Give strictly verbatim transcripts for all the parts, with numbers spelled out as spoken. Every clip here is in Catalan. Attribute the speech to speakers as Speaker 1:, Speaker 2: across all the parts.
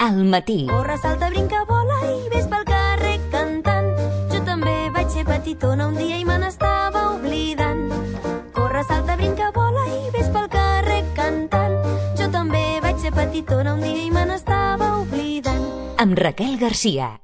Speaker 1: al matí.
Speaker 2: Corre, salta, brinca, vola i ves pel carrer cantant. Jo també vaig ser petitona un dia i me n'estava oblidant. Corre, salta, brinca, vola i ves pel carrer cantant. Jo també vaig ser petitona un dia i me n'estava oblidant.
Speaker 1: Amb Raquel Garcia.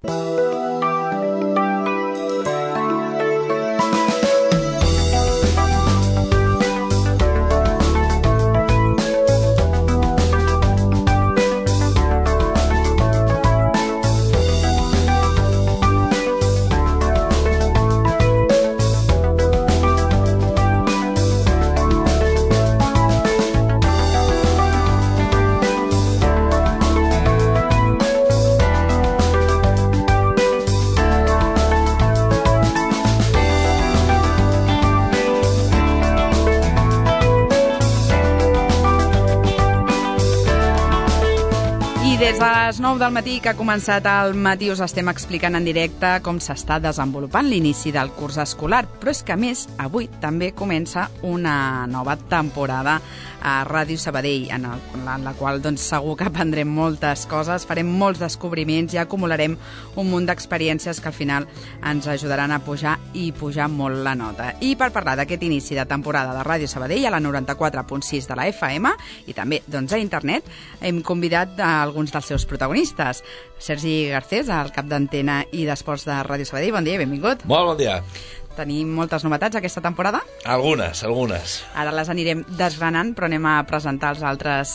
Speaker 3: Des de les nou del matí que ha començat el matí us estem explicant en directe com s'està desenvolupant l'inici del curs escolar, però és que a més avui també comença una nova temporada a Ràdio Sabadell, en, el, en la qual doncs, segur que aprendrem moltes coses, farem molts descobriments i acumularem un munt d'experiències que al final ens ajudaran a pujar i pujar molt la nota. I per parlar d'aquest inici de temporada de Ràdio Sabadell a la noranta-quatre punt sis de la F M i també doncs, a internet, hem convidat a alguns dels seus protagonistes. Sergi Garcés, el cap d'antena i d'esports de Ràdio Sabadell, bon dia i benvingut.
Speaker 4: Molt bon dia.
Speaker 3: Tenim moltes novetats aquesta temporada?
Speaker 4: Algunes, algunes.
Speaker 3: Ara les anirem desgranant, però anem a presentar els altres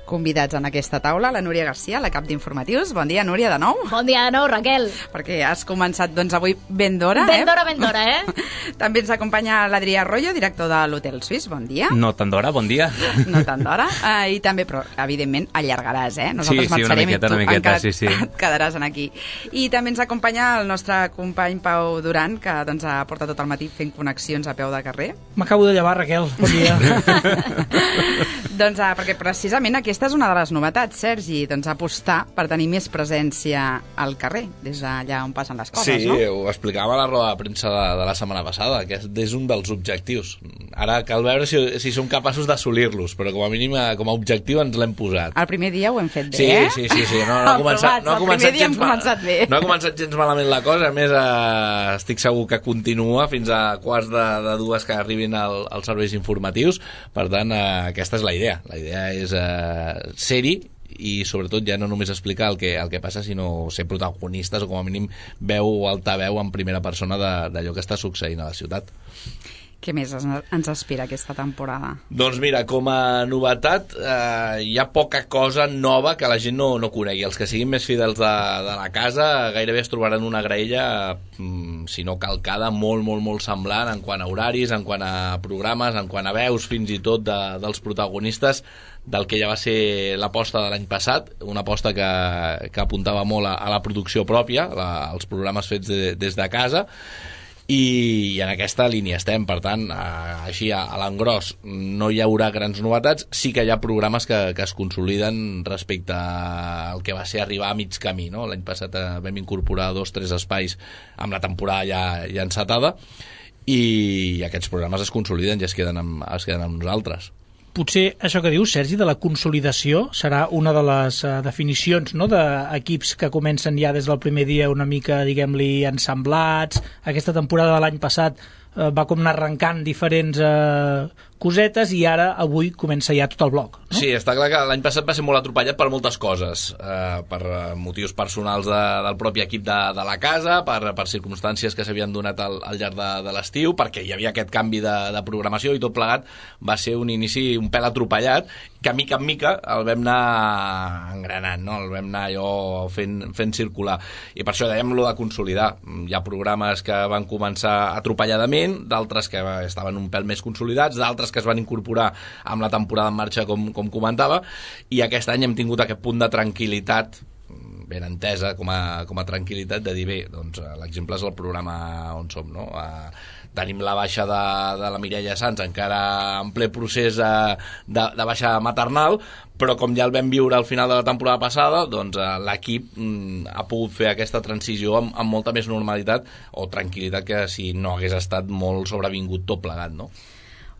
Speaker 3: convidats en aquesta taula. La Núria Garcia, la cap d'informatius. Bon dia, Núria, de nou.
Speaker 5: Bon dia de nou, Raquel.
Speaker 3: Perquè has començat, doncs, avui ben d'hora,
Speaker 5: ben
Speaker 3: eh?
Speaker 5: d'hora, ben d'hora, eh?
Speaker 3: També ens acompanya l'Adrià Arroyo, director de l'Hotel Suís. Bon dia.
Speaker 6: No tant d'hora, bon dia.
Speaker 3: No tant d'hora. Uh, I també, però, evidentment, allargaràs, eh?
Speaker 6: Nosaltres sí, sí, una miqueta, una miqueta, sí, sí.
Speaker 3: Et quedaràs aquí. I també ens acompanya el nostre company Pau Duran, que doncs, ha portat tot el matí fent connexions a peu de carrer.
Speaker 7: M'acabo de llevar, Raquel. Bon dia.
Speaker 3: Doncs uh, perquè precisament aquesta és una de les novetats, Sergi, doncs apostar per tenir més presència al carrer, des d'allà on passen les coses,
Speaker 4: sí,
Speaker 3: no?
Speaker 4: Sí, ho explicàvem a la roda de premsa de, de la setmana passada, que és un dels objectius. Ara cal veure si, si som capaços d'assolir-los, però com a mínim com a objectiu ens l'hem posat.
Speaker 3: El primer dia ho hem fet bé,
Speaker 4: sí,
Speaker 3: eh?
Speaker 4: Sí, sí, sí. No, no, ha començat, no ha començat gens
Speaker 3: començat bé.
Speaker 4: No ha començat gens malament la cosa, a més eh, estic segur que continua fins a quarts de, de dues que arribin al, als serveis informatius, per tant eh, aquesta és la idea. La idea és eh, ser-hi i sobretot ja no només explicar el que, el que passa, sinó ser protagonistes o com a mínim veu o altaveu en primera persona d'allò que està succeint a la ciutat.
Speaker 3: Què més ens espera aquesta temporada?
Speaker 4: Doncs mira, com a novetat eh, hi ha poca cosa nova que la gent no, no conegui. Els que siguin més fidels de, de la casa gairebé es trobaran una graella, mm, si no calcada, molt, molt, molt semblant en quant a horaris, en quant a programes, en quant a veus, fins i tot de, dels protagonistes del que ja va ser l'aposta de l'any passat, una aposta que, que apuntava molt a, a la producció pròpia, la, als programes fets de, des de casa, i en aquesta línia estem. Per tant, així a l'engròs no hi haurà grans novetats, sí que hi ha programes que, que es consoliden respecte al que va ser arribar a mig camí, no? L'any passat vam incorporar dos, tres espais amb la temporada ja, ja encetada i aquests programes es consoliden i es queden amb, es queden amb nosaltres.
Speaker 7: Potser això que dius, Sergi, de la consolidació serà una de les uh, definicions, no?, d'equips que comencen ja des del primer dia una mica, diguem-li, ensemblats. Aquesta temporada de l'any passat uh, va com anar arrencant diferents uh, cosetes i ara, avui, comença ja tot el bloc, no?
Speaker 4: Sí, està clar que l'any passat va ser molt atropellat per moltes coses, eh, per motius personals de, del propi equip de, de la casa, per, per circumstàncies que s'havien donat al, al llarg de, de l'estiu, perquè hi havia aquest canvi de, de programació i tot plegat va ser un inici un pèl atropellat, que mica en mica el vam anar engranant, no? El vam anar allò fent, fent circular. I per això dèiem lo de consolidar. Hi ha programes que van començar atropelladament, d'altres que estaven un pèl més consolidats, d'altres que es van incorporar amb la temporada en marxa, com, com comentava, i aquest any hem tingut aquest punt de tranquil·litat ben entesa com a, com a tranquil·litat de dir, bé, doncs l'exemple és el programa on som, no? Eh, tenim la baixa de, de la Mireia Sans encara en ple procés eh, de, de baixa maternal, però com ja el vam viure al final de la temporada passada, doncs eh, l'equip mm, ha pogut fer aquesta transició amb, amb molta més normalitat o tranquil·litat que si no hagués estat molt sobrevingut tot plegat, no?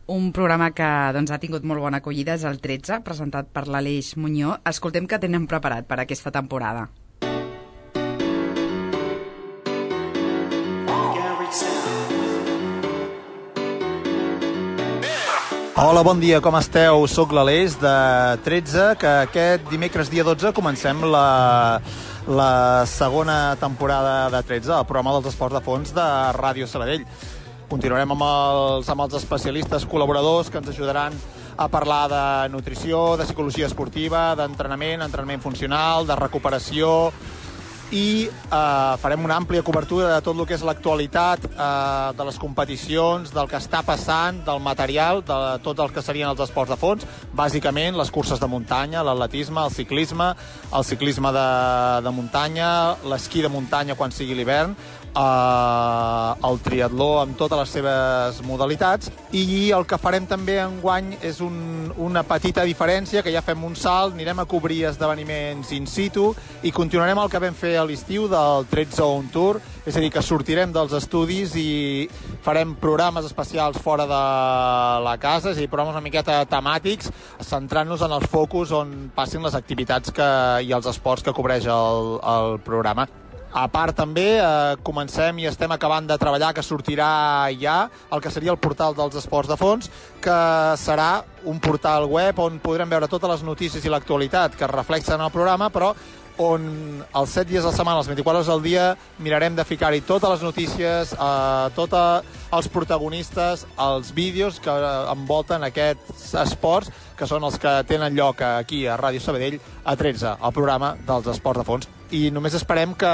Speaker 3: Un programa que doncs, ha tingut molt bona acollida és el tretze, presentat per l'Aleix Muñoz. Escoltem què tenen preparat per aquesta temporada.
Speaker 5: Hola, bon dia, com esteu? Soc l'Aleix de tretze, que aquest dimecres dia dotze comencem la, la segona temporada de tretze, el programa dels esports de fons de Ràdio Sabadell. Continuarem amb els, amb els especialistes col·laboradors que ens ajudaran a parlar de nutrició, de psicologia esportiva, d'entrenament, entrenament funcional, de recuperació, i eh, farem una àmplia cobertura de tot el que és l'actualitat eh, de les competicions, del que està passant, del material, de tot el que serien els esports de fons, bàsicament les curses de muntanya, l'atletisme, el ciclisme, el ciclisme de, de muntanya, l'esquí de muntanya quan sigui l'hivern, eh, el triatló amb totes les seves modalitats, i el que farem també enguany és un, una petita diferència, que ja fem un salt, anirem a cobrir esdeveniments in situ i continuarem el que vam fer a l'estiu del tretze On Tour, és a dir, que sortirem dels estudis i farem programes especials fora de la casa, és a dir, programes una miqueta temàtics, centrant-nos en els focus on passin les activitats que, i els esports que cobreix el, el programa. A part també eh, comencem i estem acabant de treballar, que sortirà ja el que seria el portal dels esports de fons, que serà un portal web on podrem veure totes les notícies i l'actualitat que es reflexen en el programa, però on els set dies a la setmana, els vint-i-quatre hores al dia, mirarem de ficar-hi totes les notícies, eh, tots els protagonistes, els vídeos que envolten aquests esports, que són els que tenen lloc aquí a Ràdio Sabadell, a tretze, el programa dels esports de fons. I només esperem que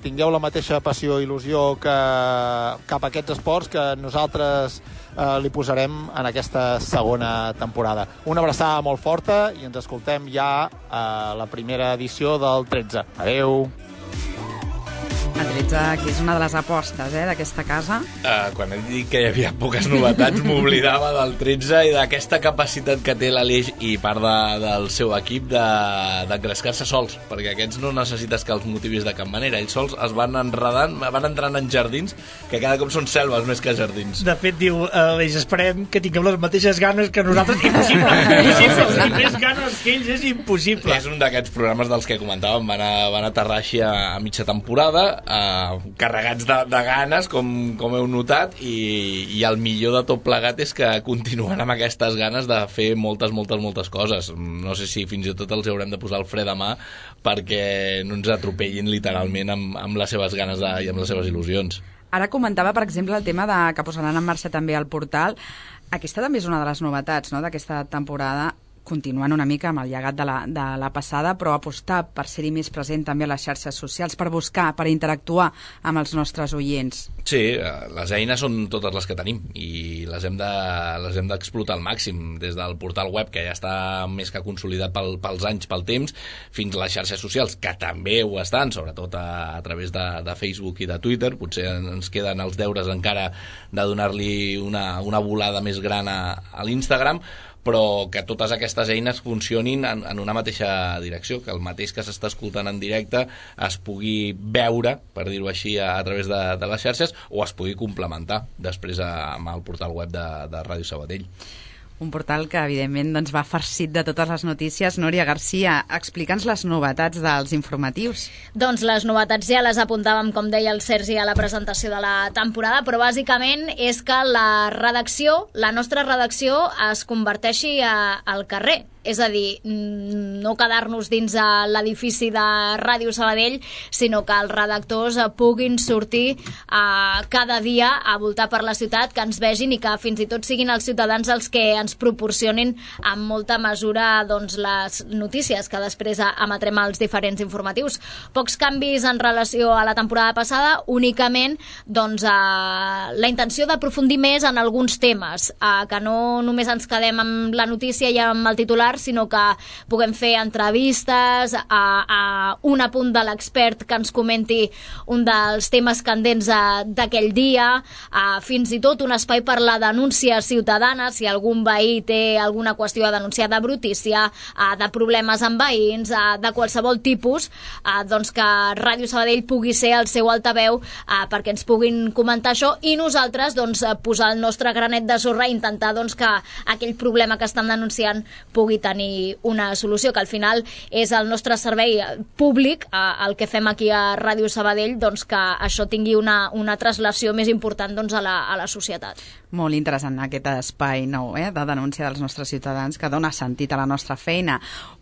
Speaker 5: tingueu la mateixa passió i il·lusió que cap a aquests esports que nosaltres eh, li posarem en aquesta segona temporada. Una abraçada molt forta i ens escoltem ja a la primera edició del tretze. Adeu!
Speaker 3: El tretze, que és una de les apostes eh, d'aquesta casa.
Speaker 4: Uh, quan he dit que hi havia poques novetats, m'oblidava del tretze i d'aquesta capacitat que té l'Aleix i part de, del seu equip d'engrescar-se de, sols, perquè aquests no necessites que els motivis de cap manera. Ells sols es van enredant, van entrant en jardins que cada cop són selves més que jardins.
Speaker 7: De fet, diu Aleix, esperem que tinguem les mateixes ganes que nosaltres. Impossible, impossible. I més ganes que ells és impossible.
Speaker 4: És un d'aquests programes dels que comentàvem, van, a, van aterrar així a, a mitja temporada, Uh, carregats de, de ganes, com, com heu notat, i, i el millor de tot plegat és que continuen amb aquestes ganes de fer moltes, moltes, moltes coses. No sé si fins i tot els haurem de posar el fre de mà perquè no ens atropellin literalment amb, amb les seves ganes de, i amb les seves il·lusions.
Speaker 3: Ara comentava, per exemple, el tema de que posaran en marxa també el portal. Aquesta també és una de les novetats, no?, d'aquesta temporada, continuant una mica amb el llegat de la, de la passada, però apostar per ser-hi més present també a les xarxes socials, per buscar, per interactuar amb els nostres oients.
Speaker 4: Sí, les eines són totes les que tenim i les hem de, les hem d'explotar al màxim, des del portal web, que ja està més que consolidat pel, pels anys, pel temps, fins a les xarxes socials, que també ho estan, sobretot a, a través de, de Facebook i de Twitter. Potser ens queden els deures encara de donar-li una, una volada més gran a, a l'Instagram, però que totes aquestes eines funcionin en, en una mateixa direcció, que el mateix que s'està escoltant en directe es pugui veure, per dir-ho així, a, a través de, de les xarxes, o es pugui complementar després a, amb el portal web de, de Ràdio Sabadell.
Speaker 3: Un portal que, evidentment, doncs, va farcit de totes les notícies. Núria Garcia, explica'ns les novetats dels informatius.
Speaker 8: Doncs les novetats ja les apuntàvem, com deia el Sergi, a la presentació de la temporada, però bàsicament és que la redacció, la nostra redacció, es converteixi a, al carrer. És a dir, no quedar-nos dins l'edifici de Ràdio Sabadell, sinó que els redactors puguin sortir eh, cada dia a voltar per la ciutat, que ens vegin i que fins i tot siguin els ciutadans els que ens proporcionin en molta mesura doncs, les notícies que després emetrem als diferents informatius. Pocs canvis en relació a la temporada passada, únicament doncs, eh, la intenció d'aprofundir més en alguns temes, eh, que no només ens quedem amb la notícia i amb el titular, titular, sinó que puguem fer entrevistes a, a un apunt de l'expert que ens comenti un dels temes candents d'aquell dia, a, fins i tot un espai per la denúncia ciutadana, si algun veí té alguna qüestió a denunciar de brutícia, a, de problemes amb veïns, a, de qualsevol tipus, a, doncs que Ràdio Sabadell pugui ser el seu altaveu a, perquè ens puguin comentar això i nosaltres doncs, posar el nostre granet de sorra i intentar doncs, que aquell problema que estan denunciant pugui tenir una solució, que al final és el nostre servei públic, a, el que fem aquí a Ràdio Sabadell, doncs, que això tingui una, una translació més important doncs, a, la, a la societat.
Speaker 3: Molt interessant aquest espai nou eh, de denúncia dels nostres ciutadans que dona sentit a la nostra feina.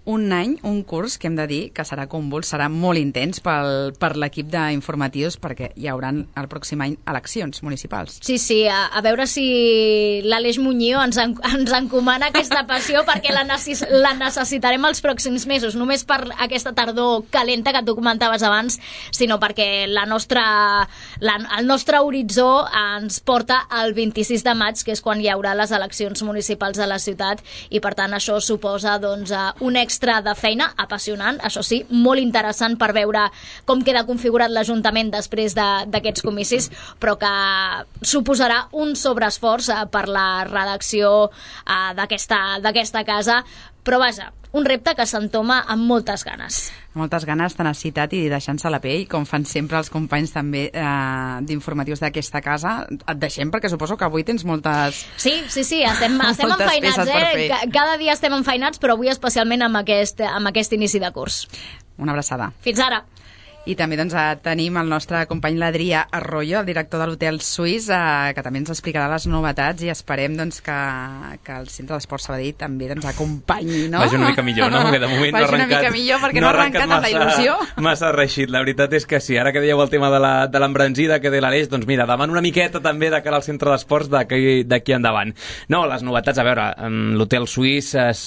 Speaker 3: Un any, un curs que hem de dir que serà convuls, serà molt intens pel, per l'equip d'informatius perquè hi haurà el pròxim any eleccions municipals.
Speaker 8: Sí, sí, a, a veure si l'Aleix Muñoz ens, en, ens encomana aquesta passió perquè la, necess, la necessitarem els pròxims mesos, només per aquesta tardor calenta que tu comentaves abans, sinó perquè la nostra, la, el nostre horitzó ens porta al vint-i-sis de maig, que és quan hi haurà les eleccions municipals de la ciutat, i per tant això suposa doncs, un extra de feina apassionant, això sí, molt interessant per veure com queda configurat l'Ajuntament després d'aquests de, comicis, però que suposarà un sobreesforç per la redacció uh, d'aquesta casa, però vaja, un repte que s'entoma amb moltes ganes.
Speaker 3: Moltes ganes, tenacitat i deixant-se la pell, com fan sempre els companys també eh, d'informatius d'aquesta casa. Et deixem perquè suposo que avui tens moltes...
Speaker 8: Sí, sí, sí, estem, estem enfeinats, eh? Cada dia estem enfeinats, però avui especialment amb aquest, amb aquest inici de curs.
Speaker 3: Una abraçada.
Speaker 8: Fins ara.
Speaker 3: I també doncs, tenim el nostre company l'Adrià Arroyo, el director de l'Hotel Suís, eh, que també ens explicarà les novetats i esperem doncs, que, que el Centre d'Esport Sabadell també ens acompanyi, no?
Speaker 6: Vagi una mica millor, no? Que de moment no ha arrencat,
Speaker 3: una mica millor perquè no, no ha arrencat, arrencat amb la il·lusió.
Speaker 6: Massa reixit, la veritat és que sí. Ara que dèieu el tema de l'embranzida, que de l'Aleix, doncs mira, davant una miqueta també de cara al Centre d'Esports d'aquí endavant. No, les novetats, a veure, l'Hotel Suís es,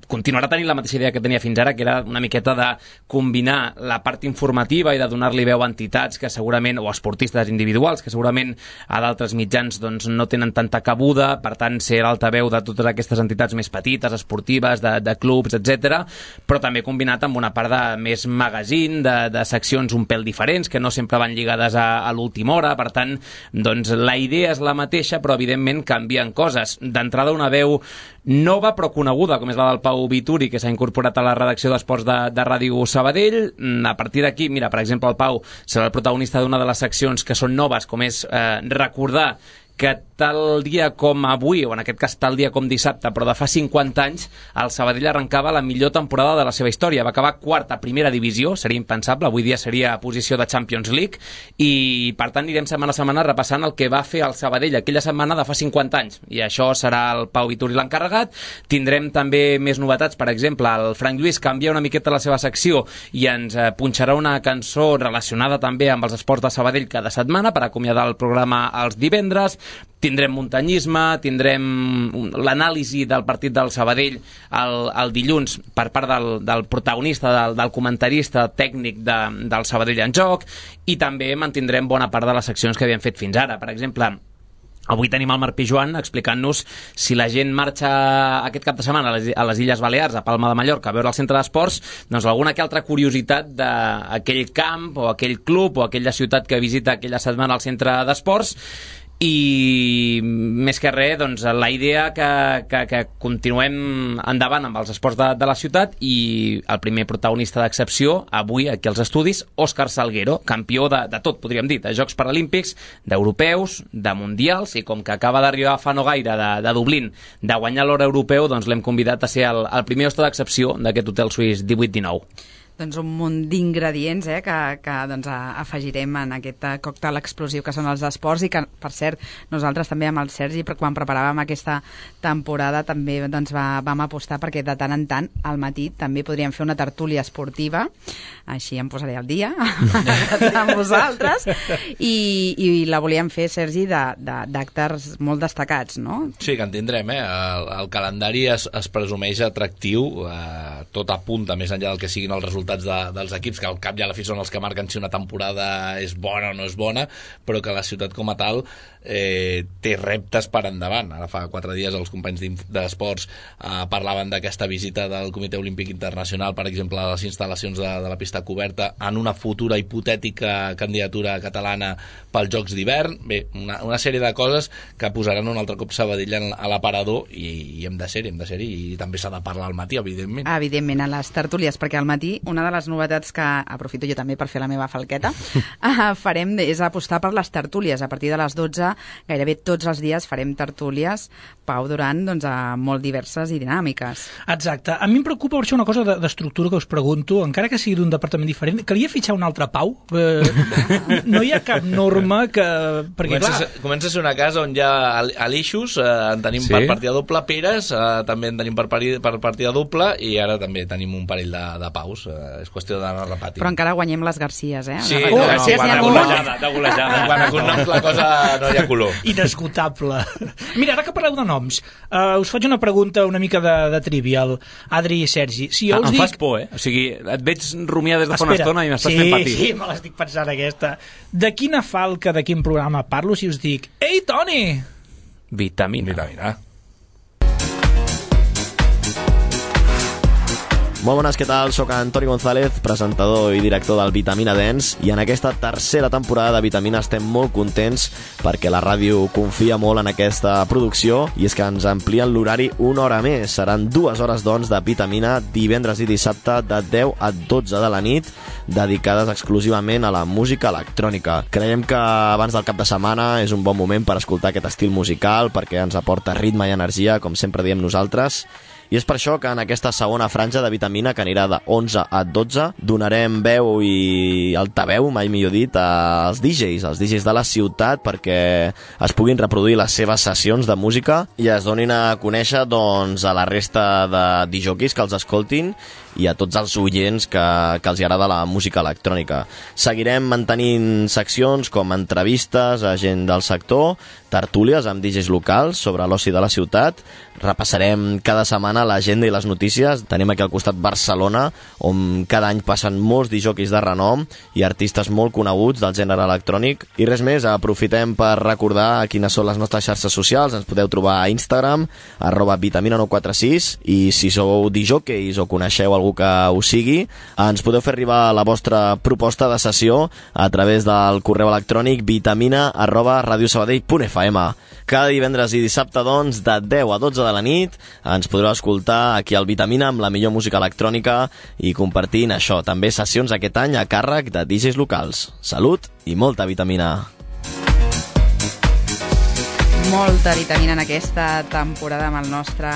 Speaker 6: continuarà tenint la mateixa idea que tenia fins ara, que era una miqueta de combinar la part informativa i de donar-li veu a entitats que segurament, o esportistes individuals, que segurament a d'altres mitjans doncs, no tenen tanta cabuda, per tant ser l'altaveu de totes aquestes entitats més petites, esportives, de, de clubs, etcètera, però també combinat amb una part de més magazine, de, de seccions un pèl diferents, que no sempre van lligades a, a l'última hora, per tant, doncs la idea és la mateixa, però evidentment canvien coses. D'entrada una veu nova però coneguda, com és la del Pau Vituri, que s'ha incorporat a la redacció d'esports de, de Ràdio Sabadell. A partir d'aquí, mira, per exemple, el Pau serà el protagonista d'una de les seccions que són noves, com és eh, recordar que tal dia com avui, o en aquest cas tal dia com dissabte, però de fa cinquanta anys, el Sabadell arrencava la millor temporada de la seva història. Va acabar quart a primera divisió, seria impensable, avui dia seria posició de Champions League, i per tant anirem setmana a setmana repassant el que va fer el Sabadell aquella setmana de fa cinquanta anys, i això serà el Pau Vituri l'encarregat. Tindrem també més novetats, per exemple, el Frank Lluís canvia una miqueta la seva secció i ens eh, punxarà una cançó relacionada també amb els esports de Sabadell cada setmana per acomiadar el programa els divendres. Tindrem muntanyisme, tindrem l'anàlisi del partit del Sabadell el, el dilluns per part del, del protagonista, del, del comentarista tècnic de, del Sabadell en joc, i també mantindrem bona part de les seccions que havíem fet fins ara. Per exemple, avui tenim el Marc Pijuan explicant-nos si la gent marxa aquest cap de setmana a les, a les Illes Balears, a Palma de Mallorca, a veure el centre d'esports, doncs alguna que altra curiositat d'aquell camp o aquell club o aquella ciutat que visita aquella setmana al centre d'esports. I més que res, doncs, la idea que, que, que continuem endavant amb els esports de, de la ciutat, i el primer protagonista d'excepció avui aquí als estudis, Òscar Salguero, campió de, de tot, podríem dir, de Jocs Paralímpics, d'europeus, de mundials, i com que acaba d'arribar fa no gaire de, de Dublín, de guanyar l'or europeu, doncs l'hem convidat a ser el, el primer hoste d'excepció d'aquest Hotel Suís divuit dinou.
Speaker 3: Doncs un munt d'ingredients eh, que, que doncs, afegirem en aquest còctel explosiu que són els esports, i que, per cert, nosaltres també amb el Sergi, quan preparàvem aquesta temporada, també doncs, va, vam apostar perquè de tant en tant al matí també podríem fer una tertúlia esportiva, així em posaré al dia amb vosaltres, i, i la volíem fer, Sergi, d'actes molt destacats, no?
Speaker 4: Sí, que en tindrem, eh? El, el calendari es, es presumeix atractiu, eh, tot apunta, més enllà del que siguin els resultats de, dels equips, que al cap i a la fi són els que marquen si una temporada és bona o no és bona, però que la ciutat com a tal eh, té reptes per endavant. Ara fa quatre dies els companys d'esports eh, parlaven d'aquesta visita del Comitè Olímpic Internacional, per exemple, a les instal·lacions de, de la pista coberta en una futura hipotètica candidatura catalana pels Jocs d'hivern. Bé, una, una sèrie de coses que posaran un altre cop Sabadell a l'aparador i, i hem de ser-hi, hem de ser-hi, i també s'ha de parlar al matí, evidentment.
Speaker 3: Evidentment, a les tertúlies, perquè al matí una de les novetats que aprofito jo també per fer la meva falqueta farem és apostar per les tertúlies. A partir de les dotze, gairebé tots els dies farem tertúlies, Pau, durant doncs, molt diverses i dinàmiques.
Speaker 7: Exacte. A mi em preocupa per això una cosa d'estructura que us pregunto, encara que sigui d'un departament diferent, calia fitxar un altre Pau? Eh, no hi ha cap norma que... Perquè,
Speaker 4: comença,
Speaker 7: clar...
Speaker 4: a, comença a ser una casa on hi ha alixos, eh, en tenim sí? per partida doble Peres, eh, també en tenim per, pari, per partida doble, i ara també tenim un parell de, de Paus. Eh, és qüestió d'anar repetint.
Speaker 3: Però encara guanyem les Garcies, eh?
Speaker 4: Sí,
Speaker 3: les
Speaker 4: no,
Speaker 3: Garcies
Speaker 4: no,
Speaker 3: n'hi ha
Speaker 4: no,
Speaker 6: golejada, de golejada.
Speaker 4: Quan a cognoms la cosa no hi ha color.
Speaker 7: Inesgotable. Mira, ara que parleu de noms, uh, us faig una pregunta una mica de, de trivial. Adri i Sergi, si jo
Speaker 6: ah,
Speaker 7: us
Speaker 6: em
Speaker 7: dic...
Speaker 6: fas por, eh? O sigui, et veig rumiar des de fa
Speaker 7: Espera.
Speaker 6: una estona i m'estàs
Speaker 7: sí,
Speaker 6: fent patir.
Speaker 7: Sí, me l'estic pensant aquesta. De quina falca, de quin programa parlo si us dic Ei, Toni!
Speaker 6: Vitamina.
Speaker 4: Vitamina.
Speaker 9: Molt bones, què tal? Soc Antoni González, presentador i director del Vitamina Dance, i en aquesta tercera temporada de Vitamina estem molt contents perquè la ràdio confia molt en aquesta producció, i és que ens amplien l'horari una hora més. Seran dues hores, doncs, de Vitamina divendres i dissabte de deu a dotze de la nit, dedicades exclusivament a la música electrònica. Creiem que abans del cap de setmana és un bon moment per escoltar aquest estil musical, perquè ens aporta ritme i energia, com sempre diem nosaltres. I és per això que en aquesta segona franja de Vitamina, que anirà de onze a dotze, donarem veu i altaveu, mai millor dit, als D Js, als D Js de la ciutat, perquè es puguin reproduir les seves sessions de música i es donin a conèixer, doncs, a la resta de disjockeys que els escoltin i a tots els oients que, que els agrada la música electrònica. Seguirem mantenint seccions com entrevistes a gent del sector, tertúlies amb D Js locals sobre l'oci de la ciutat, repassarem cada setmana l'agenda i les notícies. Tenim aquí al costat Barcelona, on cada any passen molts disjockeys de renom i artistes molt coneguts del gènere electrònic. I res més, aprofitem per recordar quines són les nostres xarxes socials. Ens podeu trobar a Instagram, arroba vitamina nou quatre sis, i si sou disjockeys o coneixeu algú que ho sigui, ens podeu fer arribar la vostra proposta de sessió a través del correu electrònic vitamina arroba radiosabadell punt f m. Cada divendres i dissabte, doncs, de deu a dotze de la nit, ens podreu escoltar aquí al Vitamina amb la millor música electrònica i compartint això, també sessions aquest any a càrrec de D Js locals. Salut i molta vitamina!
Speaker 3: Molta vitamina en aquesta temporada amb el nostre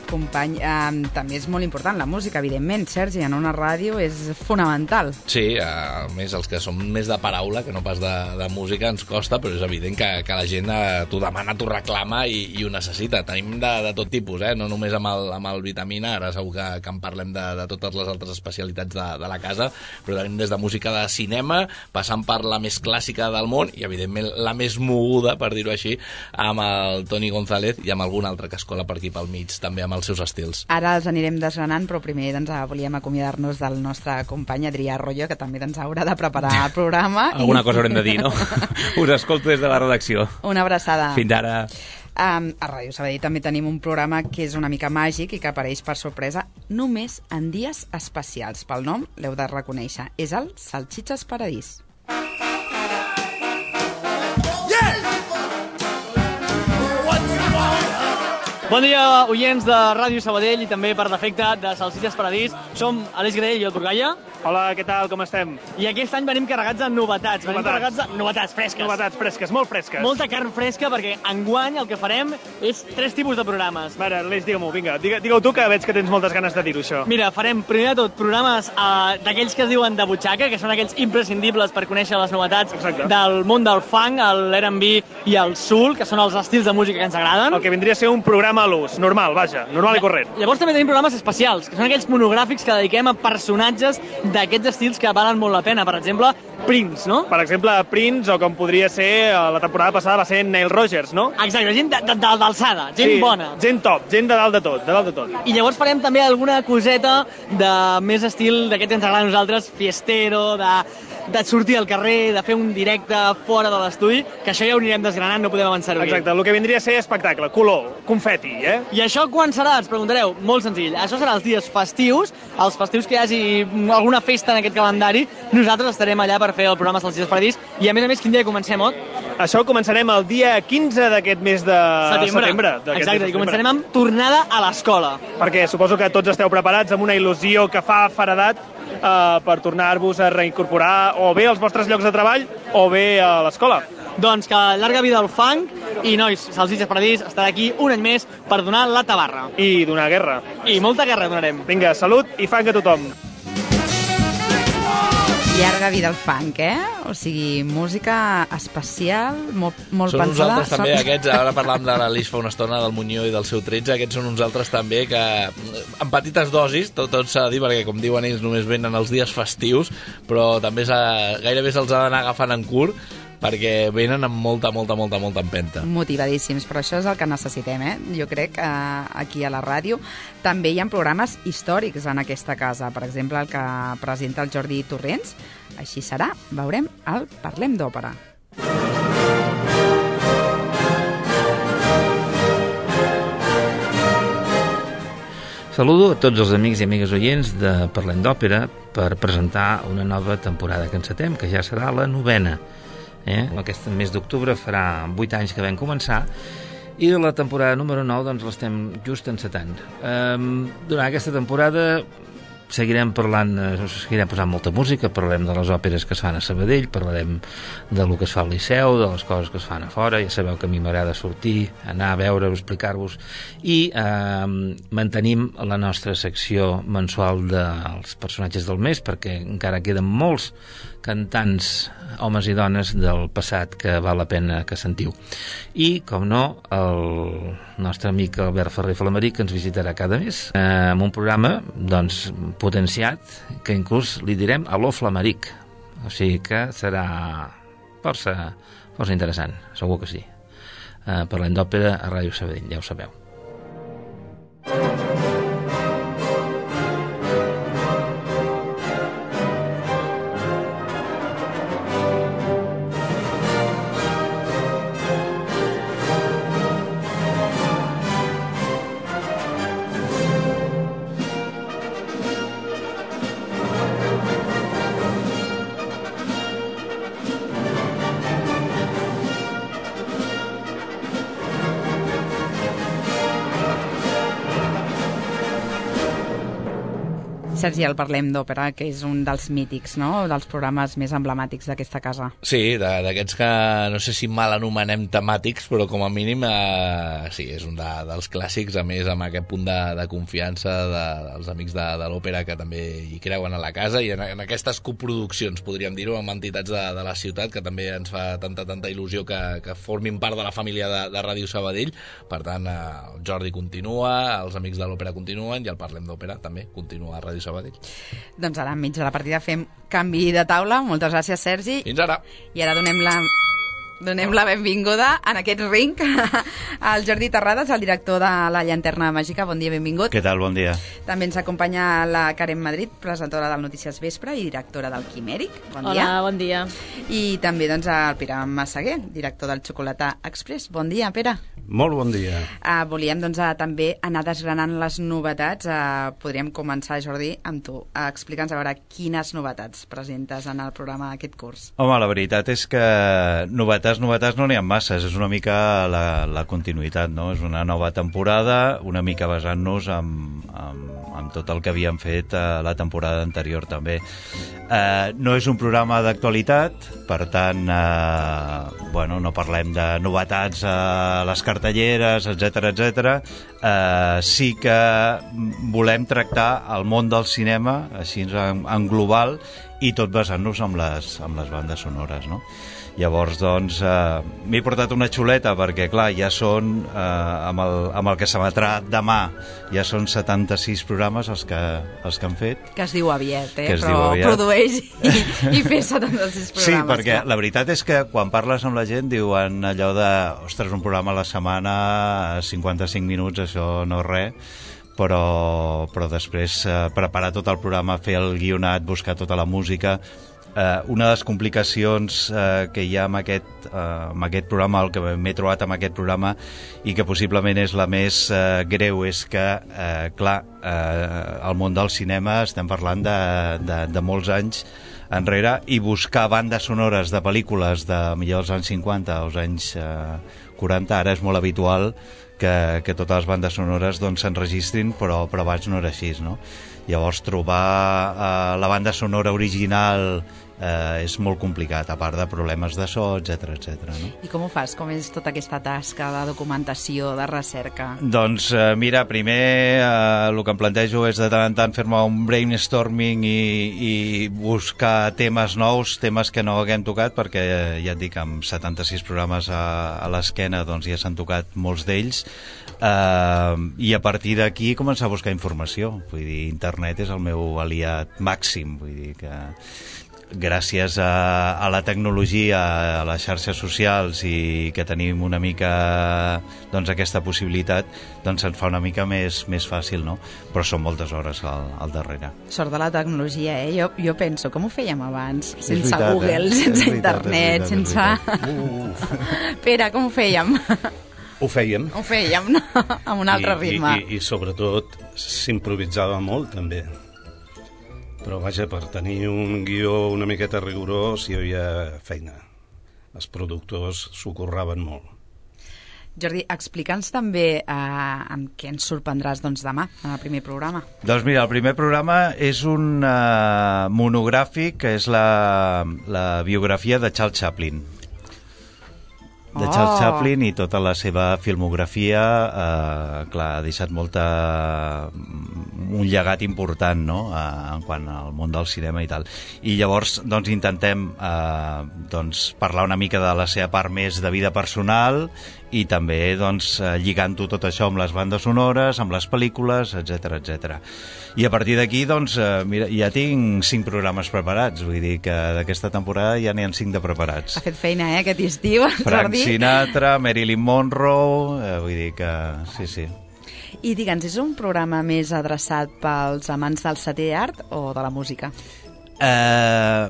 Speaker 3: company. Eh, també és molt important la música, evidentment, Sergi, en una ràdio és fonamental.
Speaker 4: Sí, a més, els que som més de paraula, que no pas de, de música, ens costa, però és evident que, que la gent eh, t'ho demana, t'ho reclama i, i ho necessita. Tenim de, de tot tipus, eh? No només amb el, amb el Vitamina, ara segur que, que en parlem de, de totes les altres especialitats de, de la casa, però tenim des de música de cinema, passant per la més clàssica del món i, evidentment, la més moguda, per dir-ho així, amb el Toni González i amb algun altre que es cola per aquí pel mig, també amb els seus estils.
Speaker 3: Ara els anirem desgranant, però primer doncs, volíem acomiadar-nos del nostre company Adrià Arroyo, que també ens haurà de preparar el programa.
Speaker 6: Alguna i... cosa haurem de dir, no? Us escolto des de la redacció.
Speaker 3: Una abraçada.
Speaker 6: Fins ara.
Speaker 3: Um, a Ràdio Sabadell també tenim un programa que és una mica màgic i que apareix per sorpresa només en dies especials. Pel nom l'heu de reconèixer. És el Salxitxes Paradís.
Speaker 10: Bon dia, oients de Ràdio Sabadell i també, per defecte, de Salsitxes Paradís. Som Aleix Graell i el Turgalla.
Speaker 11: Hola, què tal, com estem?
Speaker 10: I aquest any venim carregats de novetats. Venim
Speaker 11: Novetats.
Speaker 10: carregats de novetats fresques.
Speaker 11: Novetats fresques, molt fresques.
Speaker 10: Molta carn fresca, perquè enguany el que farem és tres tipus de programes.
Speaker 11: A veure, Aleix, digue-m'ho, vinga, digue- digue-ho tu, que veig que tens moltes ganes de dir-ho, això.
Speaker 10: Mira, farem primer de tot programes uh, d'aquells que es diuen de butxaca, que són aquells imprescindibles per conèixer les novetats
Speaker 11: Exacte.
Speaker 10: del món del funk, l'R and B i el soul, que són els estils de música que ens agraden.
Speaker 11: El que vindria a ser un programa mal ús, normal, vaja, normal i corrent.
Speaker 10: Llavors també tenim programes especials, que són aquells monogràfics que dediquem a personatges d'aquests estils que valen molt la pena. Per exemple, Prince, no?
Speaker 11: Per exemple, Prince, o com podria ser, la temporada passada va ser Neil Rogers, no?
Speaker 10: Exacte, gent d'alçada, gent
Speaker 11: sí,
Speaker 10: bona.
Speaker 11: Gent top, gent de dalt de tot, de dalt de tot.
Speaker 10: I llavors farem també alguna coseta de més estil d'aquest que ens agrada a nosaltres, fiestero, de, de sortir al carrer, de fer un directe fora de l'estudi, que això ja ho anirem desgranant, no podem avançar-ho aquí.
Speaker 11: Exacte, el que vindria a ser espectacle, color, confeti, eh?
Speaker 10: I això quan serà? Ens preguntareu. Molt senzill. Això serà els dies festius, els festius que hi hagi alguna festa en aquest calendari, nosaltres estarem allà per fer el programa Salsitxes Paradís, i a més a més, quin dia comencem, Ot?
Speaker 11: Això començarem el dia quinze d'aquest mes de setembre. setembre
Speaker 10: Exacte, i començarem amb tornada a l'escola.
Speaker 11: Perquè suposo que tots esteu preparats amb una il·lusió que fa feredat eh, per tornar-vos a reincorporar o bé als vostres llocs de treball o bé a l'escola.
Speaker 10: Doncs que llarga vida al funk i, nois, Salsitxes Paradís estarà aquí un any més per donar la tabarra.
Speaker 11: I donar guerra.
Speaker 10: I molta guerra donarem.
Speaker 11: Vinga, salut i funk a tothom.
Speaker 3: Llarga vida al funk, eh? O sigui, música especial, molt, molt
Speaker 4: són
Speaker 3: pensada.
Speaker 4: Són uns altres també, aquests, ara parlàvem de l'Alix fa una estona, del Muñoz i del seu tretze, aquests són uns altres també que, en petites dosis, tot, tot s'ha de dir, perquè com diuen ells només venen els dies festius, però també gairebé se'ls ha d'anar agafant en curt, perquè venen amb molta, molta, molta, molta empenta.
Speaker 3: Motivadíssims, però això és el que necessitem, eh? Jo crec que aquí a la ràdio també hi ha programes històrics en aquesta casa. Per exemple, el que presenta el Jordi Torrents. Així serà, veurem el Parlem d'Òpera.
Speaker 12: Saludo a tots els amics i amigues oients de Parlem d'Òpera per presentar una nova temporada que encetem, que ja serà la novena. Eh? Aquest mes d'octubre farà vuit anys que vam començar i la temporada número nou doncs l'estem just encetant. Um, durant aquesta temporada seguirem parlant, seguirem posant molta música, parlarem de les òperes que es fan a Sabadell, parlarem del que es fa al Liceu, de les coses que es fan a fora, ja sabeu que a mi m'agrada sortir, anar a veure-ho, explicar-vos, i eh, mantenim la nostra secció mensual dels personatges del mes, perquè encara queden molts cantants, homes i dones del passat que val la pena que sentiu. I, com no, el nostre amic Albert Ferrer Flameric, que ens visitarà cada mes, eh, amb un programa doncs, potenciat, que inclús li direm Aló Flameric. O sigui que serà força, força interessant, segur que sí. Eh, parlem d'òpera a Ràdio Sabadell, ja ho sabeu.
Speaker 3: Sergi, el Parlem d'Òpera, que és un dels mítics, no?, dels programes més emblemàtics d'aquesta casa.
Speaker 4: Sí, d'aquests que no sé si mal anomenem temàtics, però com a mínim eh, sí, és un de, dels clàssics, a més amb aquest punt de, de confiança de, dels amics de, de l'òpera que també hi creuen a la casa, i en, en aquestes coproduccions, podríem dir-ho, amb entitats de, de la ciutat, que també ens fa tanta, tanta il·lusió que, que formin part de la família de, de Ràdio Sabadell. Per tant, eh, el Jordi continua, els amics de l'òpera continuen, i el Parlem d'Òpera també continua a Ràdio Sabadell.
Speaker 3: Doncs ara, enmig de la partida, fem canvi de taula. Moltes gràcies, Sergi.
Speaker 4: Fins ara.
Speaker 3: I ara donem la... Donem la benvinguda en aquest ring al Jordi Terrades, el director de La Llanterna Màgica. Bon dia, benvingut.
Speaker 13: Què tal? Bon dia.
Speaker 3: També ens acompanya la Karen Madrid, presentadora del Notícies Vespre i directora del Quimèric. Bon
Speaker 14: Hola,
Speaker 3: dia.
Speaker 14: bon dia.
Speaker 3: I també doncs, el Pere Massaguer, director del Xocolata Express. Bon dia, Pere.
Speaker 13: Molt bon dia.
Speaker 3: Uh, volíem doncs, uh, també anar desgranant les novetats. Uh, podríem començar, Jordi, amb tu. Uh, Explica'ns a veure quines novetats presentes en el programa d'aquest curs.
Speaker 13: Home, la veritat és que novetats novetats no n'hi ha masses, és una mica la, la continuïtat, no? És una nova temporada, una mica basant-nos amb, amb, amb tot el que havíem fet a la temporada anterior també. Eh, no és un programa d'actualitat, per tant, eh, bueno, no parlem de novetats a les cartelleres, etcètera, etcètera. Eh, sí que volem tractar el món del cinema, així en, en global, i tot basant-nos amb les, amb les bandes sonores, no? Llavors, doncs, eh, m'he portat una xuleta perquè, clar, ja són, eh, amb, el, amb el que s'emetrà demà, ja són setanta-sis programes els que, els que han fet.
Speaker 3: Que es diu aviat, eh?
Speaker 13: Que es
Speaker 3: Però
Speaker 13: diu aviat.
Speaker 3: produeix i, i fer setanta-sis programes.
Speaker 13: Sí, perquè
Speaker 3: clar.
Speaker 13: la veritat és que quan parles amb la gent diuen allò de, ostres, un programa a la setmana, cinquanta-cinc minuts, això no és res, però, però després eh, preparar tot el programa, fer el guionat, buscar tota la música. Eh, una de les complicacions eh, que hi ha amb aquest, eh, amb aquest programa, el que m'he trobat amb aquest programa i que possiblement és la més eh, greu, és que, eh, clar, eh, el món del cinema estem parlant de, de, de molts anys enrere, i buscar bandes sonores de pel·lícules de millor dels anys cinquanta als anys eh, quaranta, ara és molt habitual que, que totes les bandes sonores doncs, s'enregistrin, però, però abans no era així, no? Llavors trobar eh, la banda sonora original eh, és molt complicat, a part de problemes de so, etcètera, etcètera, no?
Speaker 3: I com ho fas? Com és tota aquesta tasca de documentació, de recerca?
Speaker 13: Doncs eh, mira, primer eh, el que em plantejo és de tant en tant fer-me un brainstorming i, i buscar temes nous, temes que no haguem tocat, perquè eh, ja et dic, amb setanta-sis programes a, a l'esquena doncs ja s'han tocat molts d'ells, eh, i a partir d'aquí començar a buscar informació. Vull dir, internet és el meu aliat màxim, vull dir que gràcies a, a la tecnologia, a les xarxes socials, i que tenim una mica doncs, aquesta possibilitat, doncs ens fa una mica més, més fàcil, no? Però són moltes hores al, al darrere.
Speaker 3: Sort de la tecnologia, eh? Jo, jo penso, com ho fèiem abans?
Speaker 13: És
Speaker 3: Sense
Speaker 13: veritat,
Speaker 3: Google,
Speaker 13: eh?
Speaker 3: sense
Speaker 13: És veritat,
Speaker 3: internet,
Speaker 13: és veritat,
Speaker 3: sense...
Speaker 13: és
Speaker 3: Pere, com ho fèiem?
Speaker 14: Ho fèiem.
Speaker 3: Ho fèiem, no? Amb un altre
Speaker 14: I,
Speaker 3: ritme.
Speaker 14: I, i, I sobretot s'improvisava molt, també. Però vaja, per tenir un guió una miqueta rigorós hi havia feina. Els productors s'ho curraven molt.
Speaker 3: Jordi, explica'ns també eh, amb què ens sorprendràs doncs, demà, en el primer programa.
Speaker 13: Doncs mira, el primer programa és un uh, monogràfic, que és la, la biografia de Charles Chaplin. de Charles
Speaker 3: Oh.
Speaker 13: Chaplin i tota la seva filmografia, eh, clar, ha deixat molta, un llegat important, no?, eh, en quant al món del cinema i tal. I llavors, doncs, intentem eh, doncs, parlar una mica de la seva part més de vida personal i també, doncs, eh, lligant-ho tot això amb les bandes sonores, amb les pel·lícules, etcètera, etcètera. I a partir d'aquí, doncs, eh, mira, ja tinc cinc programes preparats, vull dir que d'aquesta temporada ja n'hi ha cinc de preparats.
Speaker 3: Ha fet feina, eh, aquest estiu,
Speaker 13: Frank
Speaker 3: Jordi.
Speaker 13: Sinatra, Marilyn Monroe, eh, vull dir que sí, sí.
Speaker 3: I digue'ns, és un programa més adreçat pels amants del setè art o de la música?
Speaker 13: Eh,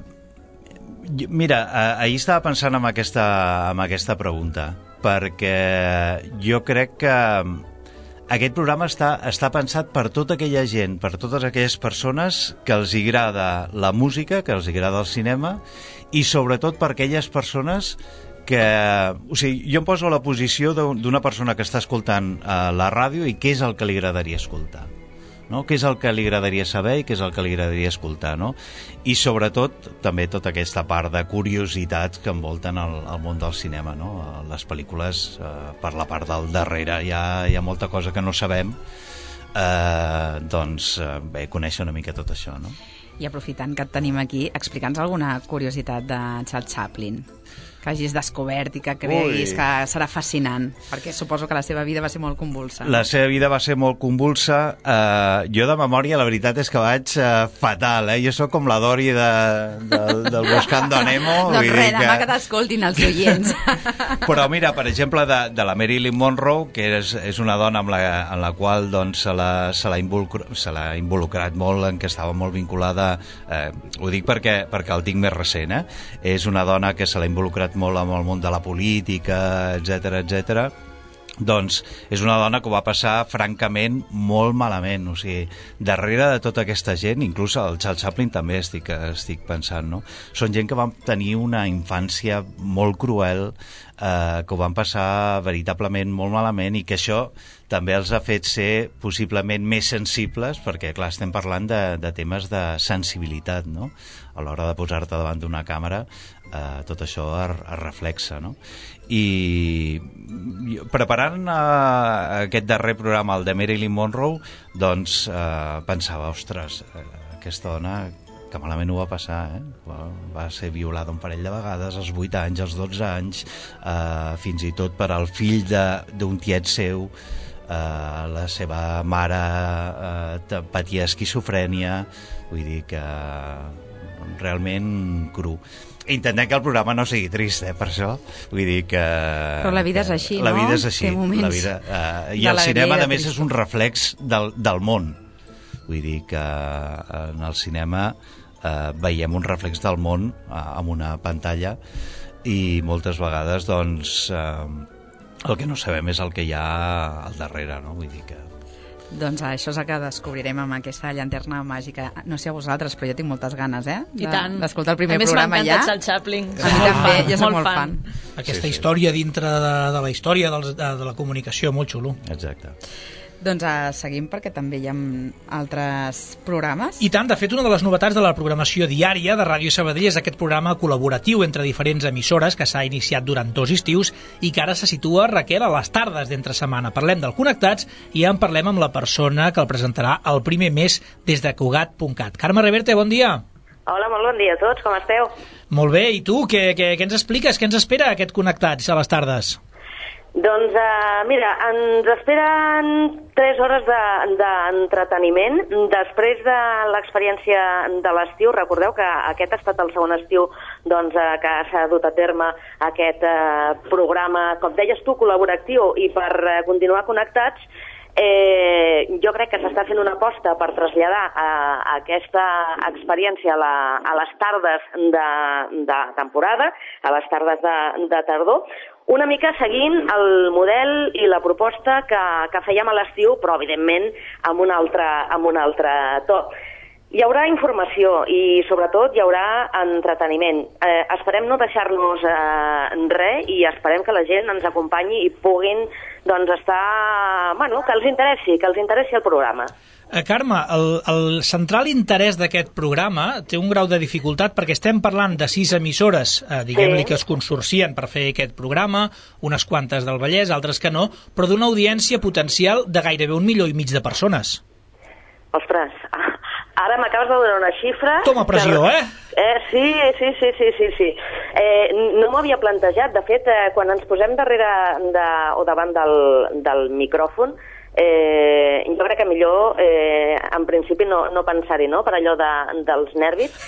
Speaker 13: mira, eh, ahir estava pensant en aquesta, en aquesta pregunta, perquè jo crec que aquest programa està, està pensat per tota aquella gent, per totes aquelles persones que els agrada la música, que els agrada el cinema, i sobretot per aquelles persones que... O sigui, jo em poso a la posició d'una persona que està escoltant uh, la ràdio i què és el que li agradaria escoltar, no? Què és el que li agradaria saber i què és el que li agradaria escoltar, no? I sobretot també tota aquesta part de curiositats que envolten el, el món del cinema, no? Les pel·lícules, eh, per la part del darrere hi ha, hi ha molta cosa que no sabem, eh, doncs eh, bé, conèixer una mica tot això, no?
Speaker 3: I aprofitant que et tenim aquí, explica'ns alguna curiositat de Charles Chaplin que hagis descobert i que creguis
Speaker 13: Ui.
Speaker 3: que serà fascinant, perquè suposo que la seva vida va ser molt convulsa.
Speaker 13: La seva vida va ser molt convulsa. Uh, jo de memòria la veritat és que vaig uh, fatal, eh? Jo sóc com la Dory de, de, del Buscando a Nemo.
Speaker 3: Doncs res, demà que t'escoltin els oients.
Speaker 13: Però mira, per exemple, de, de la Marilyn Monroe, que és, és una dona amb la, en la qual doncs, se l'ha se l'ha involucrat, se l'ha involucrat molt, en què estava molt vinculada, eh, ho dic perquè, perquè el tinc més recent, eh? És una dona que se l'ha involucrat molt amb el món de la política, etcètera, etcètera. Doncs és una dona que ho va passar francament molt malament, o sigui, darrere de tota aquesta gent, inclús el Charles Chaplin també estic, estic pensant, no? Són gent que van tenir una infància molt cruel, eh, que ho van passar veritablement molt malament i que això també els ha fet ser possiblement més sensibles, perquè clar, estem parlant de, de temes de sensibilitat, no? A l'hora de posar-te davant d'una càmera, eh, tot això es, es reflexa, no? I preparant eh, aquest darrer programa, el de Marilyn Monroe, doncs eh, pensava, ostres, eh, aquesta dona que malament ho va passar, eh? va, va ser violada un parell de vegades, als vuit anys, als dotze anys, eh, fins i tot per al fill d'un tiet seu, eh, la seva mare eh, patia esquizofrènia, vull dir que realment cru. Intentem que el programa no sigui trist, eh, per això. Vull dir que...
Speaker 3: Però la vida és així,
Speaker 13: la
Speaker 3: no?
Speaker 13: vida és així. La vida, eh, I el cinema, a més, és un reflex del, del món. Vull dir que en el cinema eh, veiem un reflex del món eh, amb una pantalla i moltes vegades, doncs, eh, el que no sabem és el que hi ha al darrere, no? Vull dir que...
Speaker 3: Doncs això és el que descobrirem amb aquesta llanterna màgica. No sé a vosaltres, però jo tinc moltes ganes, eh?
Speaker 15: I tant.
Speaker 3: D'escoltar el primer
Speaker 15: programa ja.
Speaker 3: programa ja.
Speaker 15: A més m'encanta Charles Chaplin.
Speaker 3: A mi també, jo soc molt fan.
Speaker 7: Aquesta sí, sí. història dintre de, de la història de, de, de la comunicació, molt xulo.
Speaker 13: Exacte.
Speaker 3: Doncs uh, seguim perquè també hi ha altres programes.
Speaker 7: I tant, de fet, una de les novetats de la programació diària de Ràdio Sabadell és aquest programa col·laboratiu entre diferents emissores que s'ha iniciat durant dos estius i que ara se situa, Raquel, a les tardes d'entre setmana. Parlem del Connectats i ja en parlem amb la persona que el presentarà el primer mes des de Cugat punt cat. Carme Reverte, bon dia.
Speaker 16: Hola, molt bon dia a tots, com esteu?
Speaker 7: Molt bé, i tu, què, què, què ens expliques? Què ens espera aquest Connectats a les tardes?
Speaker 16: Doncs, uh, mira, ens esperen tres hores d'entreteniment. De, Després de l'experiència de l'estiu, recordeu que aquest ha estat el segon estiu doncs, uh, que s'ha dut a terme aquest uh, programa, com deies tu, col·laboratiu i per uh, continuar connectats. Eh, jo crec que s'està fent una aposta per traslladar uh, aquesta experiència a, la, a les tardes de, de temporada, a les tardes de, de tardor, una mica seguint el model i la proposta que, que fèiem a l'estiu, però evidentment amb un altre, amb un altre to. Hi haurà informació i sobretot hi haurà entreteniment. Eh, esperem no deixar-nos eh, res i esperem que la gent ens acompanyi i puguin doncs, estar... Bueno, que els interessi, que els interessi el programa.
Speaker 7: Eh, Carme, el, el central interès d'aquest programa té un grau de dificultat perquè estem parlant de sis emissores, eh, diguem-li, sí, que es consorcien per fer aquest programa, unes quantes del Vallès, altres que no, però d'una audiència potencial de gairebé un milió i mig de persones.
Speaker 16: Ostres, ara m'acabes de donar una xifra...
Speaker 7: Toma pressió,
Speaker 16: que...
Speaker 7: eh?
Speaker 16: eh? Sí, sí, sí, sí, sí, sí. Eh, no m'ho havia plantejat. De fet, eh, quan ens posem darrere de, o davant del, del micròfon, eh, jo crec que millor, eh, en principi, no, no pensar-hi, no?, per allò de, dels nervis.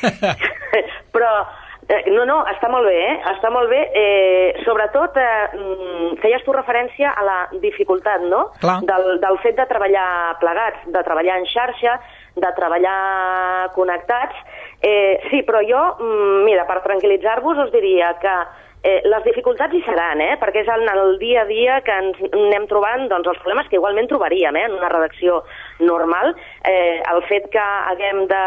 Speaker 16: Però... No, no, està molt bé, eh? Està molt bé. Eh, sobretot, eh, feies tu referència a la dificultat, no? Del, del fet de treballar plegats, de treballar en xarxa, de treballar connectats. Eh, sí, però jo, mira, per tranquil·litzar-vos us diria que eh, les dificultats hi seran, eh? Perquè és en el dia a dia que ens anem trobant doncs, els problemes que igualment trobaríem eh? en una redacció normal. Eh, el fet que haguem de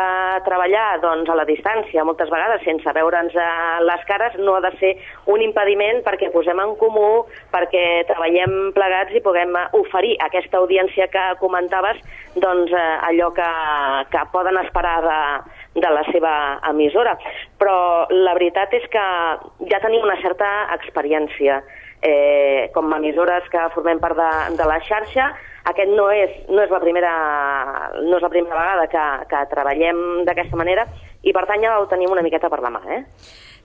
Speaker 16: treballar doncs, a la distància, moltes vegades sense veure'ns a les cares, no ha de ser un impediment perquè posem en comú, perquè treballem plegats i puguem oferir a aquesta audiència que comentaves doncs, eh, allò que, que poden esperar de, de la seva emissora. Però la veritat és que ja tenim una certa experiència. Eh, com a emissores que formem part de, de la xarxa, aquest no és, no és la primera, no és la primera vegada que, que treballem d'aquesta manera i per tant ja ho tenim una miqueta per la mà, eh?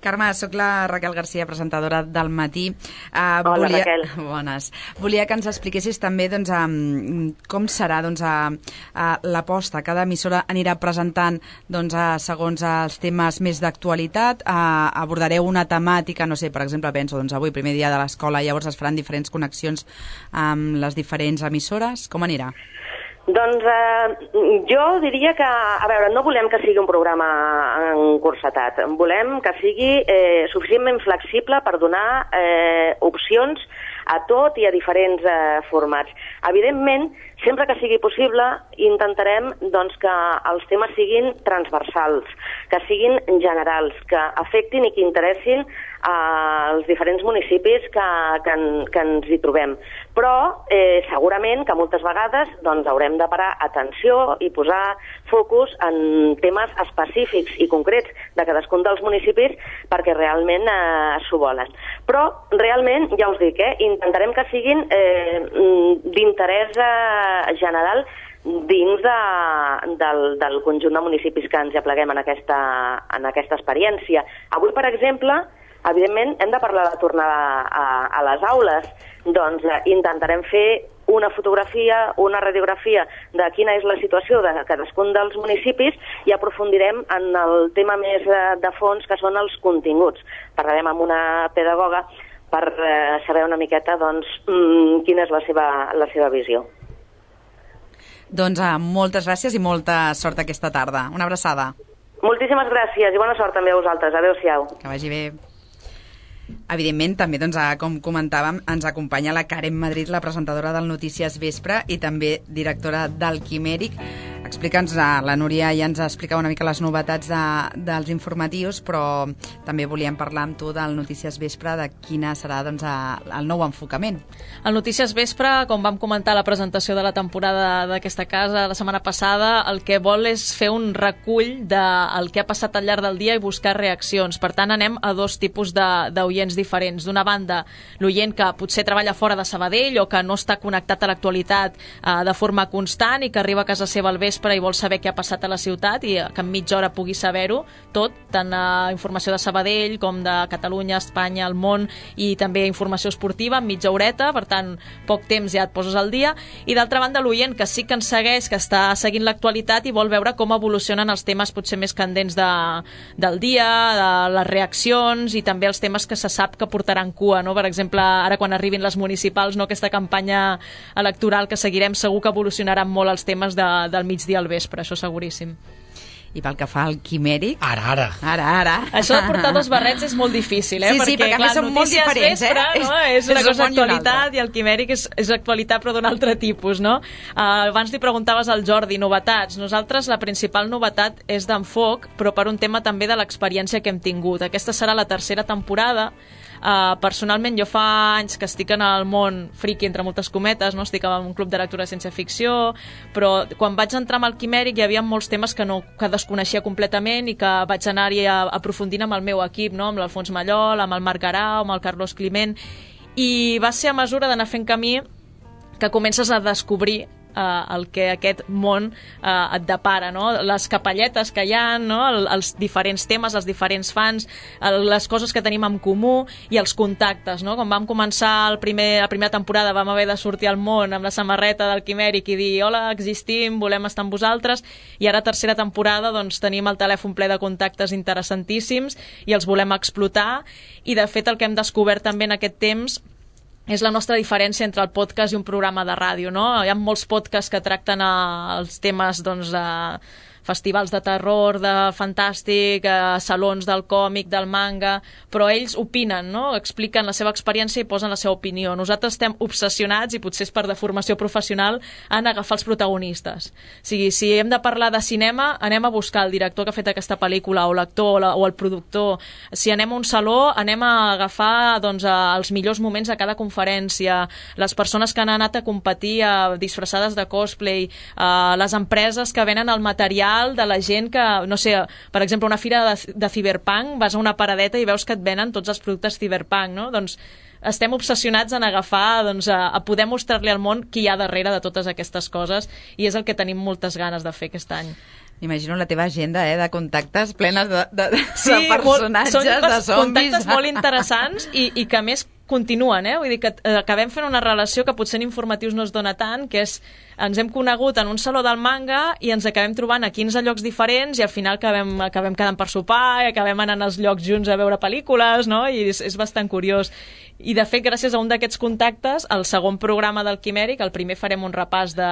Speaker 3: Carme, sóc la Raquel Garcia, presentadora del Matí. Uh,
Speaker 16: Hola,
Speaker 3: volia...
Speaker 16: Raquel.
Speaker 3: Bones. Volia que ens expliquessis també doncs, um, com serà doncs, uh, uh, l'aposta. Cada emissora anirà presentant doncs, uh, segons els temes més d'actualitat. Uh, abordareu una temàtica, no sé, per exemple, penso, doncs, avui, primer dia de l'escola, llavors es faran diferents connexions amb les diferents emissores. Com anirà?
Speaker 16: Doncs eh, jo diria que, a veure, no volem que sigui un programa encursetat, volem que sigui eh, suficientment flexible per donar eh, opcions a tot i a diferents eh, formats. Evidentment, sempre que sigui possible, intentarem doncs, que els temes siguin transversals, que siguin generals, que afectin i que interessin als diferents municipis que, que, que ens hi trobem. Però eh, segurament que moltes vegades doncs, haurem de parar atenció i posar focus en temes específics i concrets de cadascun dels municipis perquè realment eh, s'ho volen. Però realment, ja us dic, eh, intentarem que siguin eh, d'interès eh, general dins de, del, del conjunt de municipis que ens hi apleguem en aquesta, en aquesta experiència. Avui, per exemple, evidentment, hem de parlar de tornar a, a les aules. Doncs eh, intentarem fer una fotografia, una radiografia de quina és la situació de cadascun dels municipis i aprofundirem en el tema més eh, de fons, que són els continguts. Parlarem amb una pedagoga per eh, saber una miqueta doncs, mmm, quina és la seva, la seva visió.
Speaker 3: Doncs eh, moltes gràcies i molta sort aquesta tarda. Una abraçada.
Speaker 16: Moltíssimes gràcies i bona sort també a vosaltres. Adéu-siau.
Speaker 3: Que vagi bé. Evidentment, també, doncs, com comentàvem, ens acompanya la Karen Madrid, la presentadora del Notícies Vespre i també directora del Quimèric. Explica'ns, la Núria ja ens explicava una mica les novetats de, dels informatius, però també volíem parlar amb tu del Notícies Vespre, de quina serà doncs, el nou enfocament.
Speaker 15: El Notícies Vespre, com vam comentar a la presentació de la temporada d'aquesta casa la setmana passada, el que vol és fer un recull del que ha passat al llarg del dia i buscar reaccions. Per tant, anem a dos tipus d'oients diferents. D'una banda, l'oient que potser treballa fora de Sabadell o que no està connectat a l'actualitat eh, de forma constant i que arriba a casa seva al vespre i vol saber què ha passat a la ciutat i que en mitja hora pugui saber-ho tot, tant uh, informació de Sabadell com de Catalunya, Espanya, el món i també informació esportiva en mitja horeta, per tant, poc temps ja et poses al dia. I d'altra banda, l'oient que sí que ens segueix, que està seguint l'actualitat i vol veure com evolucionen els temes potser més candents de, del dia, de les reaccions i també els temes que se sap que portaran cua, no? Per exemple, ara quan arribin les municipals, no? Aquesta campanya electoral que seguirem, segur que evolucionaran molt els temes de, del migdia al vespre, això seguríssim.
Speaker 3: I pel que fa al Quimèric...
Speaker 7: Ara, ara.
Speaker 3: Ara, ara.
Speaker 15: Això de portar dos barrets és molt difícil, eh?
Speaker 3: Sí, sí, perquè, perquè clar, són molt diferents,
Speaker 15: vespre,
Speaker 3: eh?
Speaker 15: No? És una cosa actualitat i el Quimèric és, és actualitat però d'un altre tipus, no? Uh, abans li preguntaves al Jordi, novetats. Nosaltres la principal novetat és d'enfoc, però per un tema també de l'experiència que hem tingut. Aquesta serà la tercera temporada. Uh, personalment, jo fa anys que estic en el món friki, entre moltes cometes, no? Estic en un club de lectura de ciència-ficció, però quan vaig entrar amb el Quimèric hi havia molts temes que, no, que desconeixia completament i que vaig anar-hi aprofundint amb el meu equip, no? Amb l'Alfons Mallol, amb el Marc Garau, amb el Carlos Climent, i va ser a mesura d'anar fent camí que comences a descobrir Uh, el que aquest món uh, et depara, no? Les capelletes que hi ha, no? El, els diferents temes, els diferents fans, el, les coses que tenim en comú i els contactes, no? Quan vam començar el primer, la primera temporada vam haver de sortir al món amb la samarreta del Quimèric i dir hola, existim, volem estar amb vosaltres, i ara tercera temporada doncs tenim el telèfon ple de contactes interessantíssims i els volem explotar, i de fet el que hem descobert també en aquest temps és la nostra diferència entre el podcast i un programa de ràdio, no? Hi ha molts podcasts que tracten eh, els temes, doncs, eh, festivals de terror, de fantàstic, eh, salons del còmic, del manga, però ells opinen, no? Expliquen la seva experiència i posen la seva opinió. Nosaltres estem obsessionats, i potser és per deformació professional, en agafar els protagonistes. O sigui, si hem de parlar de cinema, anem a buscar el director que ha fet aquesta pel·lícula, o l'actor, o, la, o el productor. Si anem a un saló, anem a agafar doncs, els millors moments de cada conferència, les persones que han anat a competir a, disfressades de cosplay, a, les empreses que venen el material de la gent que, no sé, per exemple, una fira de, de Cyberpunk, vas a una paradeta i veus que et venen tots els productes Cyberpunk, no? Doncs estem obsessionats en agafar, doncs, a, a poder mostrar-li al món qui hi ha darrere de totes aquestes coses, i és el que tenim moltes ganes de fer aquest any.
Speaker 3: M'imagino la teva agenda, eh, de contactes plenes de, de,
Speaker 15: sí,
Speaker 3: de personatges,
Speaker 15: molt, són
Speaker 3: de zombis.
Speaker 15: Contactes molt interessants i, i que a més continuen, eh? Vull dir que acabem fent una relació que potser en informatius no es dona tant, que és, ens hem conegut en un saló del manga i ens acabem trobant a quinze llocs diferents i al final acabem, acabem quedant per sopar i acabem anant als llocs junts a veure pel·lícules, no? I és, és bastant curiós. I de fet, gràcies a un d'aquests contactes, el segon programa del Quimèric, el primer farem un repàs de,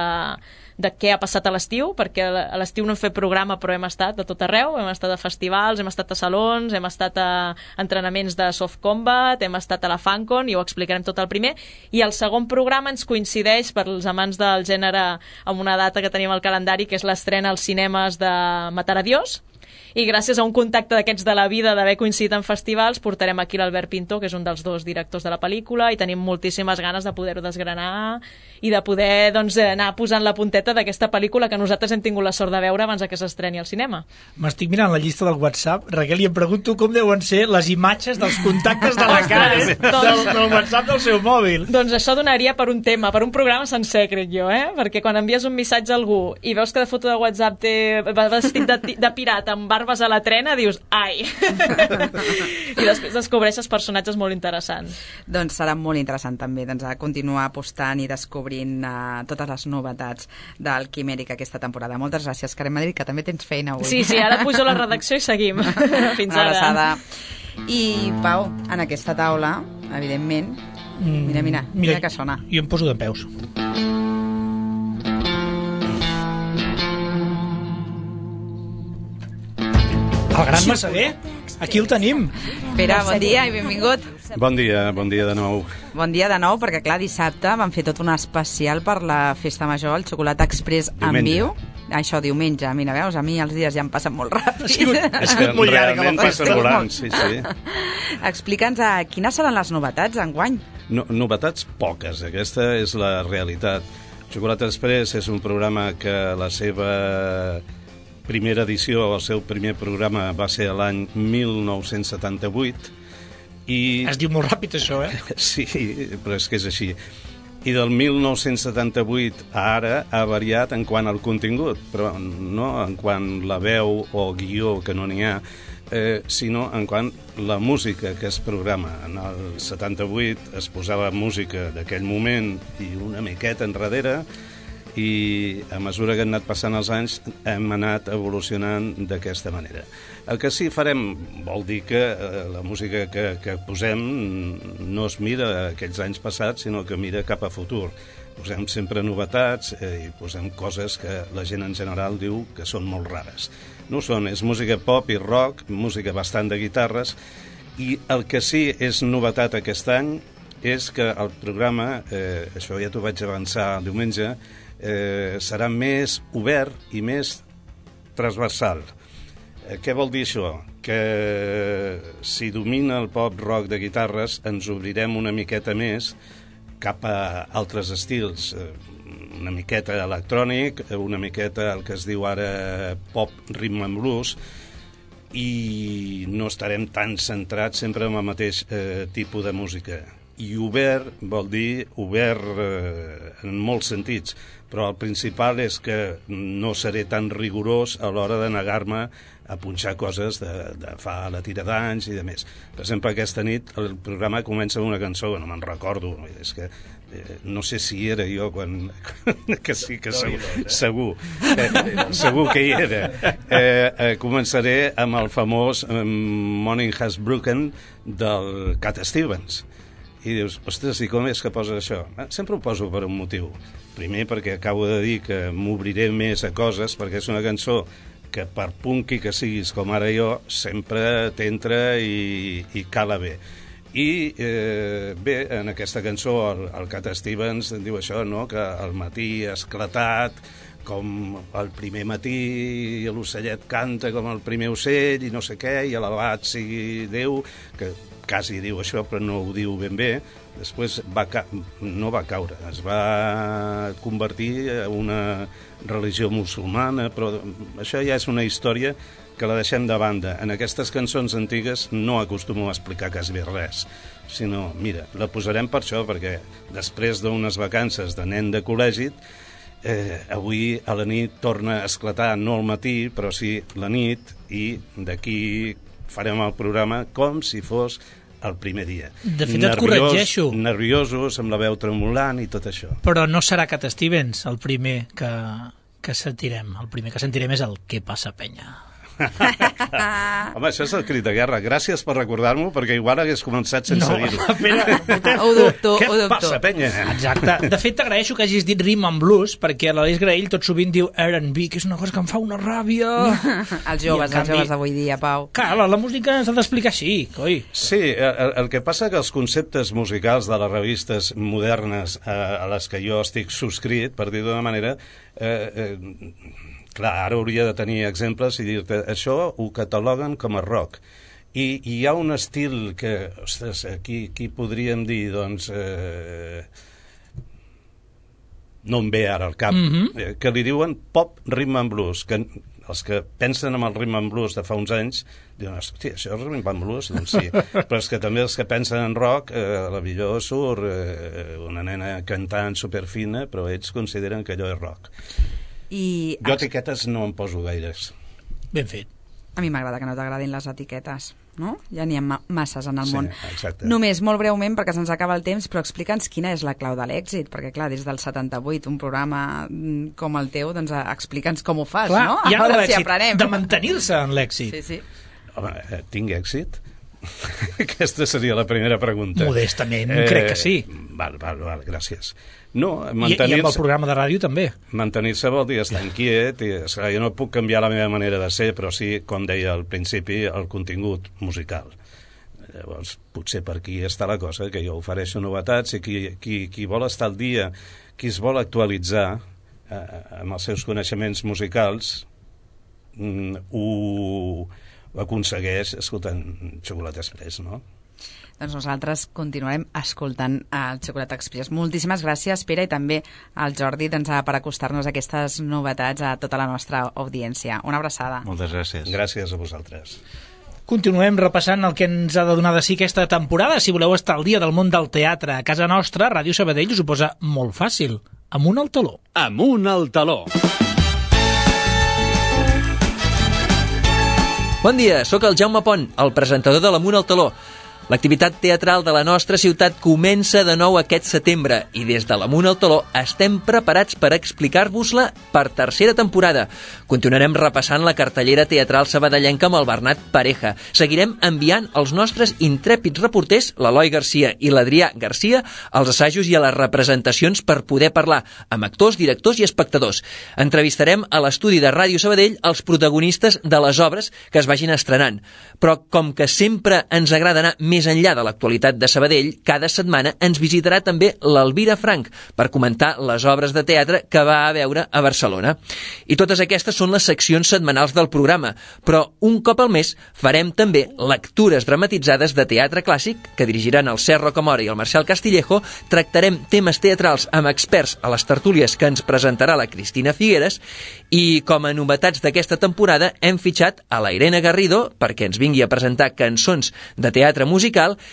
Speaker 15: de què ha passat a l'estiu, perquè a l'estiu no hem fet programa però hem estat a tot arreu, hem estat a festivals, hem estat a salons, hem estat a entrenaments de soft combat, hem estat a la Fan Kong i ho explicarem tot el primer, i el segon programa ens coincideix per als amants del gènere amb una data que tenim al calendari, que és l'estrena als cinemes de Matar a Dios, i gràcies a un contacte d'aquests de la vida d'haver coincidit en festivals portarem aquí l'Albert Pinto, que és un dels dos directors de la pel·lícula, i tenim moltíssimes ganes de poder-ho desgranar i de poder doncs, anar posant la punteta d'aquesta pel·lícula que nosaltres hem tingut la sort de veure abans que s'estreni al cinema.
Speaker 7: M'estic mirant la llista del WhatsApp, Raquel, i em pregunto com deuen ser les imatges dels contactes de la Karen del, del WhatsApp del seu mòbil.
Speaker 15: Doncs això donaria per un tema, per un programa sencer, crec jo, eh? Perquè quan envies un missatge a algú i veus que de foto de WhatsApp té vestit de, de pirata amb barbes a la trena, dius, ai! I després descobreixes personatges molt interessants.
Speaker 3: Doncs serà molt interessant també doncs, a continuar apostant i descobrint uh, totes les novetats del Quimèric aquesta temporada. Moltes gràcies, Karen Madrid, que també tens feina avui.
Speaker 15: Sí, sí, ara pujo a la redacció i seguim. Fins
Speaker 3: Una
Speaker 15: ara.
Speaker 3: abraçada. I, Pau, en aquesta taula, evidentment, mira, mira, mira, mira que sona.
Speaker 7: Jo em poso de peus. El gran Massaguer, aquí el tenim.
Speaker 3: Pere, bon dia i benvingut.
Speaker 14: Bon dia, bon dia de nou.
Speaker 3: Bon dia de nou, perquè clar, dissabte vam fer tot un especial per la Festa Major, el Xocolata Express en viu. Això, diumenge, mira, veus, a mi els dies ja em passen molt ràpid.
Speaker 14: Sí, és que realment passen volant, sí, sí.
Speaker 3: Explica'ns a quines seran les novetats enguany.
Speaker 14: No, novetats poques, aquesta és la realitat. Xocolata Express és un programa que la seva primera edició, el seu primer programa va ser l'any mil nou-cents setanta-vuit i...
Speaker 7: Es diu molt ràpid això, eh?
Speaker 14: Sí, però és que és així. I del mil nou-cents setanta-vuit a ara ha variat en quant al contingut, però no en quant la veu o guió, que no n'hi ha, eh, sinó en quant la música que es programa. En el setanta-vuit es posava música d'aquell moment i una miqueta enrere, i a mesura que han anat passant els anys hem anat evolucionant d'aquesta manera. El que sí farem vol dir que eh, la música que, que posem no es mira aquells anys passats, sinó que mira cap a futur. Posem sempre novetats eh, i posem coses que la gent en general diu que són molt rares. No ho són, és música pop i rock, música bastant de guitarres, i el que sí és novetat aquest any és que el programa, eh, això ja t'ho vaig avançar el diumenge, Eh, serà més obert i més transversal. Eh, què vol dir això? Que si domina el pop-rock de guitarres ens obrirem una miqueta més cap a altres estils, eh, una miqueta electrònic, una miqueta el que es diu ara pop, rhythm and blues, i no estarem tan centrats sempre en el mateix eh, tipus de música. I obert vol dir obert eh, en molts sentits, però el principal és que no seré tan rigorós a l'hora de negar-me a punxar coses de, de fa la tira d'anys i de més. Per exemple, aquesta nit el programa comença amb una cançó que no me'n recordo, és que eh, no sé si era jo quan... que sí, que segur, segur, eh, segur que hi era. Eh, eh, començaré amb el famós Morning Has Broken del Cat Stevens. I dius, ostres, i com és que poses això? Sempre ho poso per un motiu. Primer perquè acabo de dir que m'obriré més a coses, perquè és una cançó que per punky que siguis com ara jo, sempre t'entra i, i cala bé. I eh, bé, en aquesta cançó el, el Cat Stevens diu això, no?, que al matí ha esclatat com el primer matí i l'ocellet canta com el primer ocell i no sé què, i alabat sigui Déu, que quasi diu això però no ho diu ben bé. Després va ca... no va caure, es va convertir en una religió musulmana, però això ja és una història que la deixem de banda. En aquestes cançons antigues no acostumo a explicar quasi res, sinó, mira, la posarem per això, perquè després d'unes vacances de nen de col·legi, eh, avui a la nit torna a esclatar, no al matí, però sí la nit, i d'aquí farem el programa com si fos el primer dia.
Speaker 7: De fet, et corregeixo.
Speaker 14: Nerviosos, amb la veu tremolant i tot això.
Speaker 7: Però no serà Cat Stevens el primer que, que sentirem. El primer que sentirem és el Què passa, penya?
Speaker 14: Home, això és el crit de guerra. Gràcies per recordar-m'ho, perquè igual hagués començat sense
Speaker 7: No,
Speaker 14: dir-ho.
Speaker 7: espera,
Speaker 3: Ho dubto,
Speaker 14: Què
Speaker 3: ho dubto.
Speaker 14: passa, penya?
Speaker 7: Exacte. De fet, t'agraeixo que hagis dit rhythm and blues, perquè l'Aleix Graell tot sovint diu R and B, que és una cosa que em fa una ràbia.
Speaker 3: Els joves, els joves d'avui dia, Pau.
Speaker 7: Clar, la, la música s'ha d'explicar així, coi.
Speaker 14: Sí, el, el que passa que els conceptes musicals de les revistes modernes eh, a les que jo estic subscrit, per dir d'una manera, eh, eh, clar, ara hauria de tenir exemples i dir-te, això ho cataloguen com a rock. I, i hi ha un estil que, ostres, aquí, aquí podríem dir, doncs, eh, no em ve ara al cap,
Speaker 7: Mhm.
Speaker 14: eh, que li diuen pop rhythm and blues, que els que pensen en el rhythm and blues de fa uns anys diuen, hòstia, això és rhythm and blues? Doncs sí, però és que també els que pensen en rock, eh, a la millor surt eh, una nena cantant superfina, però ells consideren que allò és rock.
Speaker 3: I
Speaker 14: Jo etiquetes no em poso gaires.
Speaker 7: Ben fet.
Speaker 3: a mi m'agrada que no t'agradin les etiquetes, no? Ja n'hi ha ma masses en el
Speaker 14: Sí,
Speaker 3: món.
Speaker 14: exacte.
Speaker 3: Només, molt breument, perquè se'ns acaba el temps, però explica'ns quina és la clau de l'èxit, perquè clar, des del setanta-vuit, un programa mm, com el teu, doncs eh, explica'ns com ho fas,
Speaker 7: Clar,
Speaker 3: no?
Speaker 7: hi ha
Speaker 3: A veure
Speaker 7: l'èxit
Speaker 3: si aprenem.
Speaker 7: de mantenir-se en l'èxit.
Speaker 3: Sí, sí.
Speaker 14: Home, eh, tinc èxit? Aquesta seria la primera pregunta.
Speaker 7: Modestament, crec que sí.
Speaker 14: Val, val, val, gràcies. No,
Speaker 7: I, I amb el programa de ràdio també.
Speaker 14: Mantenir-se vol dir estar inquiet, i, esclar, jo no puc canviar la meva manera de ser, però sí, com deia al principi, el contingut musical. Llavors, potser per aquí està la cosa, que jo ofereixo novetats i qui, qui, qui vol estar al dia, qui es vol actualitzar eh, amb els seus coneixements musicals, mm, ho, ho aconsegueix escoltant Xocolata Express, no?
Speaker 3: Doncs nosaltres continuarem escoltant el Xocolata Express. Moltíssimes gràcies, Pere, i també al Jordi doncs, per acostar-nos a aquestes novetats a tota la nostra audiència. Una abraçada.
Speaker 13: Moltes gràcies.
Speaker 14: Gràcies a vosaltres.
Speaker 7: Continuem repassant el que ens ha de donar de si aquesta temporada. Si voleu estar al dia del món del teatre a casa nostra, Ràdio Sabadell us ho posa molt fàcil. Amunt al taló.
Speaker 17: Amunt al taló.
Speaker 18: Bon dia, sóc el Jaume Pont, el presentador de l'Amunt al taló. L'activitat teatral de la nostra ciutat comença de nou aquest setembre i des de l'Amunt al taló estem preparats per explicar-vos-la per tercera temporada. Continuarem repassant la cartellera teatral sabadellenca amb el Bernat Pareja. Seguirem enviant els nostres intrèpids reporters, l'Eloi Garcia i l'Adrià Garcia, als assajos i a les representacions per poder parlar amb actors, directors i espectadors. Entrevistarem a l'estudi de Ràdio Sabadell els protagonistes de les obres que es vagin estrenant. Però com que sempre ens agrada anar més enllà de l'actualitat de Sabadell, cada setmana ens visitarà també l'Elvira Frank per comentar les obres de teatre que va a veure a Barcelona. I totes aquestes són les seccions setmanals del programa, però un cop al mes farem també lectures dramatitzades de teatre clàssic que dirigiran el Serro Camora i el Marcial Castillejo, tractarem temes teatrals amb experts a les tertúlies que ens presentarà la Cristina Figueres i com a novetats d'aquesta temporada hem fitxat a la Irene Garrido perquè ens vingui a presentar cançons de teatre musical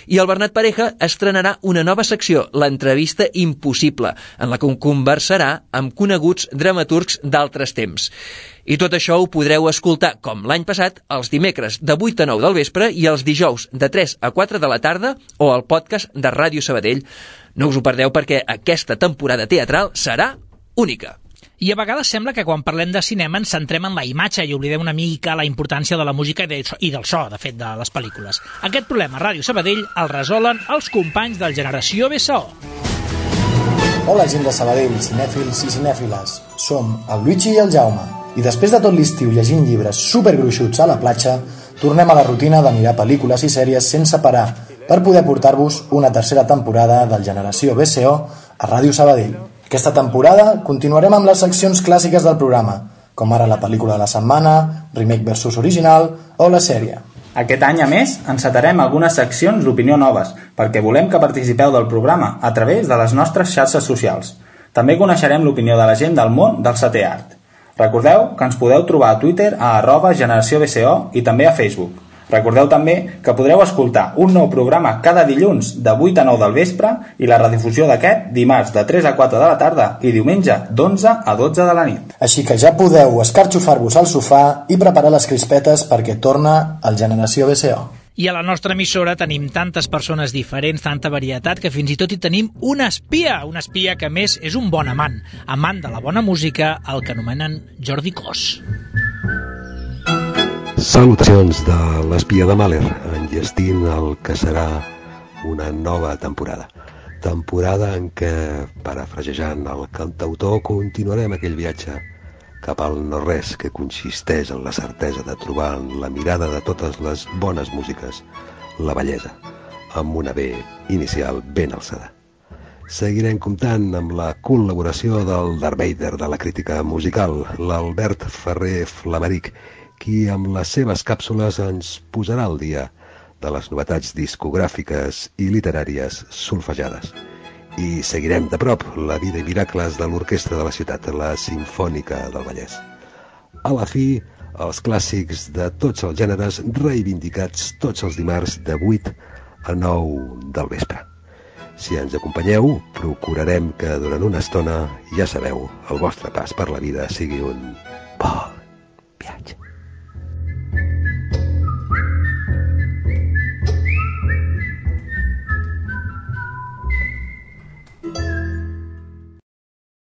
Speaker 18: i el Bernat Pareja estrenarà una nova secció, l'entrevista impossible, en la que conversarà amb coneguts dramaturgs d'altres temps. I tot això ho podreu escoltar, com l'any passat, els dimecres de vuit a nou del vespre i els dijous de tres a quatre de la tarda o al podcast de Ràdio Sabadell. No us ho perdeu perquè aquesta temporada teatral serà única.
Speaker 7: I a vegades sembla que quan parlem de cinema ens centrem en la imatge i oblidem una mica la importància de la música i, de, i del so, de fet, de les pel·lícules. Aquest problema a Ràdio Sabadell el resolen els companys del Generació B S O.
Speaker 19: Hola, gent de Sabadell, cinèfils i cinèfiles. Som el Luigi i el Jaume. I després de tot l'estiu llegint llibres supergruixuts a la platja, tornem a la rutina de mirar pel·lícules i sèries sense parar per poder portar-vos una tercera temporada del Generació B S O a Ràdio Sabadell. Aquesta temporada continuarem amb les seccions clàssiques del programa, com ara la pel·lícula de la setmana, remake versus original o la sèrie.
Speaker 20: Aquest any, a més, encetarem algunes seccions d'opinió noves, perquè volem que participeu del programa a través de les nostres xarxes socials. També coneixerem l'opinió de la gent del món del setè art. Recordeu que ens podeu trobar a Twitter a arroba generació B S O i també a Facebook. Recordeu també que podreu escoltar un nou programa cada dilluns de vuit a nou del vespre i la redifusió d'aquest dimarts de tres a quatre de la tarda i diumenge d'onze a dotze de la nit.
Speaker 19: Així que ja podeu escarxofar-vos al sofà i preparar les crispetes perquè torna el Generació B S O.
Speaker 7: I a la nostra emissora tenim tantes persones diferents, tanta varietat, que fins i tot hi tenim un espia, un espia que a més és un bon amant, amant de la bona música, el que anomenen Jordi Cos.
Speaker 17: Salutacions de l'espia de Mahler, enllestint el que serà una nova temporada. Temporada en què, parafrasejant el cantautor, continuarem aquell viatge cap al no-res que consisteix en la certesa de trobar en la mirada de totes les bones músiques la bellesa, amb una B inicial ben alçada. Seguirem comptant amb la col·laboració del Darth Vader de la crítica musical, l'Albert Ferrer Flamaric, qui amb les seves càpsules ens posarà al dia de les novetats discogràfiques i literàries solfejades. I seguirem de prop la vida i miracles de l'orquestra de la ciutat, la Simfònica del Vallès. A la fi, els clàssics de tots els gèneres reivindicats tots els dimarts de vuit a nou del vespre. Si ens acompanyeu, procurarem que durant una estona, ja sabeu, el vostre pas per la vida sigui un bon viatge.